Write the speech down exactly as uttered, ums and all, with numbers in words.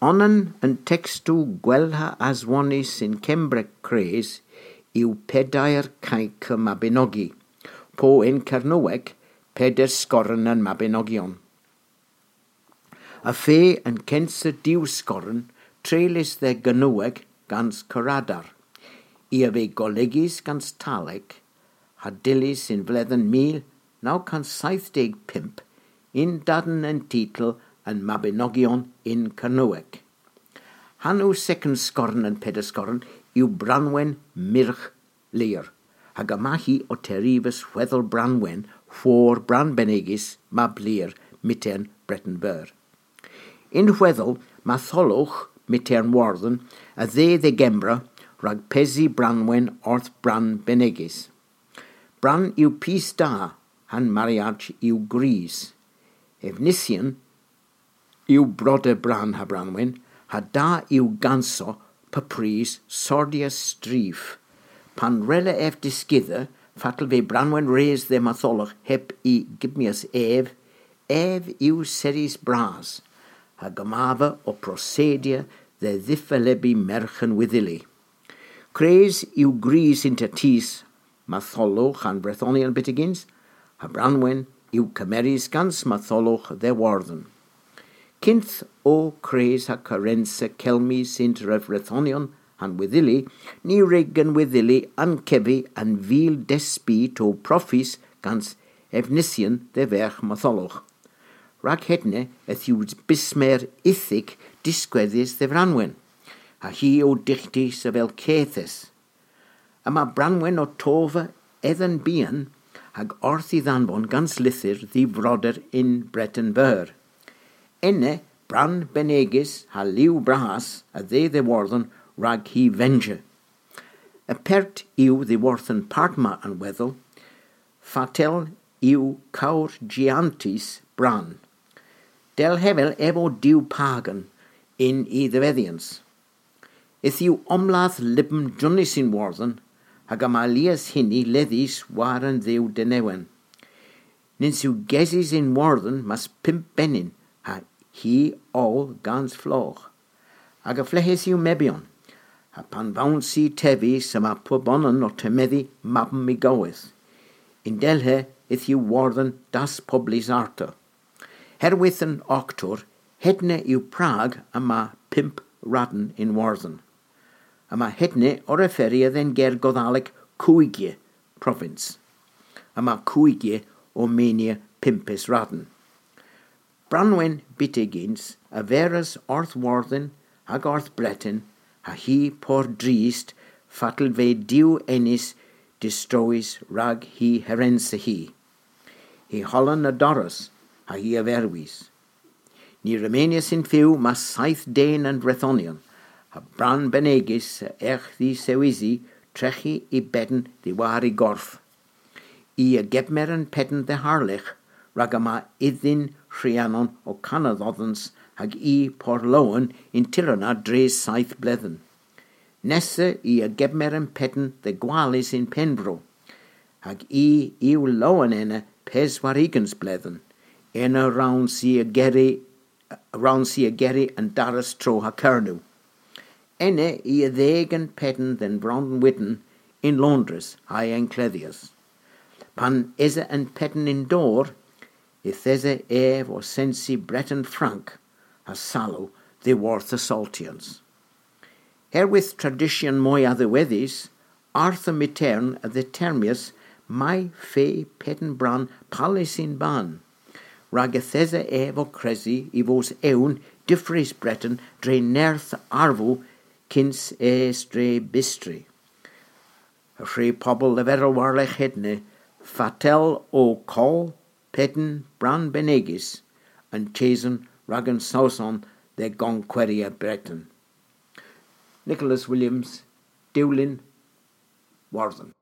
Onan yn textw gwelha aswonis yn Cembrec Cres yw pedair cainc y Mabinogi, po yn Cernyweg pedair sgoren yn Mabinogion. A fe yn censa diw sgoren treulus dde Gynyweg gans Cyradar, i a fe golegis gans Talec, ha dilys yn fledden mil naw cant saith deg pump yn daden yn titl yn Mabinogion in Cernyweg. Hanw second sgorn yn pedair sgorn yw Branwen Myrch Leir, hag yma hi o terifus weddol Branwen chwor Bran Benegis mab Lir mitern Breton Byr. In weddol Matholwch mitern Warden a dde dde Gembra rhag pesi Branwen orth Bran Benegis. Bran yw pys da, han mariage yw gris. Efnisian yw broder Bran ha Branwen, ha da yw ganso papris sordia strif. Pan rele ef disgydda, fatal fe Branwen res dde Matholwch heb i gibmias ef, ef yw seris bras, ha gymafa o prosedia dde ddiffelebu merch yn Wyddili. Cres yw gris inter tis Matholwch han Brethonian bitigins, ha Branwen yw cymeris gans Matholwch dde Warden. Cynth o cres ha carensa celmis inter Brethonion han Wyddili, ni rig yn Wyddili an cefi an fil desbi to profis gans Efnisian dde ferch Matholwch. Rhag hedne eth yw bismer ithig disgweddus dde Branwen, a hi o dichtis a fel cethes. A mae Branwen o tofa edden bian hag orth i ddanfon gans lythyr ddi froder in Breton Byr. Enne Bran Benegis ha liw bras a dde dde warddon rhag hi venge. Y pert yw ddiwarthon partma yn weddol, fatel yw cawr giantis Bran. Del hefel efo diw pagan in i ddefeddians. Ith yw omladd libm Jonis yn warddon, hag am alias hynny leddis war yn ddiw denewen. Nins yw gesis yn warddon mas pump benin, ha hi ol gans floch. Hag a flehes yw mebion, ha pan fawn si tefi syma pwbonon o temeddi mabm mi gowydd. In delhe ith yw warddon das poblis arto. Herwydd yn octwr, hedne yw Prag yma pump radden in warddon. Yma hedne o referia den ger Goddaleg Cwygie province. Yma Cwygie o menia pimpus radden. Branwen bitigins a veras orth warddon hag orth Breton ha hi por drist fatal ve diw ennis distrois rag hi herensa hi. Hi hollen a doros ha hi a verwis. Ni remenius in fyw ma saith den yn Brethonion, ha Bran Benegis a erch ddi sewisi trechi i bedden ddiwar i gorff. I a gebmer yn pedden dde harlich, rhag yma iddyn Rhiannon o Canaddoddens hag i Porlowen in Tirana dre saith bledden. Nessa i a gebmer yn pedden dde gwalis in Penbro, hag i yw lowen enne peswarigans bledden, ena rawn si a geri, rawn si a geri yn daras tro ha Cernyw. Enne i a ddeg yn pedden den Brondon Widden in Londres ha encleddias. Pan ese yn pedden in dor, ithese ef o sensi Breton Frank a salw ddiwarth assaultians. Herwydd tradition mwy addiweddus, Arthur Mitern a ddetermius mai fe pedden Bran palis in ban. Rhag ethese ef o cresi i fos ewn diffris Breton dre nerth arfw cyns es dre bistri. Y rhai pobl leferol warlech hedne, fatel o col pedden Bran Benegis yn chasen rhag yn Saeson de gonqueria Breton. Nicholas Williams, Dewlyn, Warden.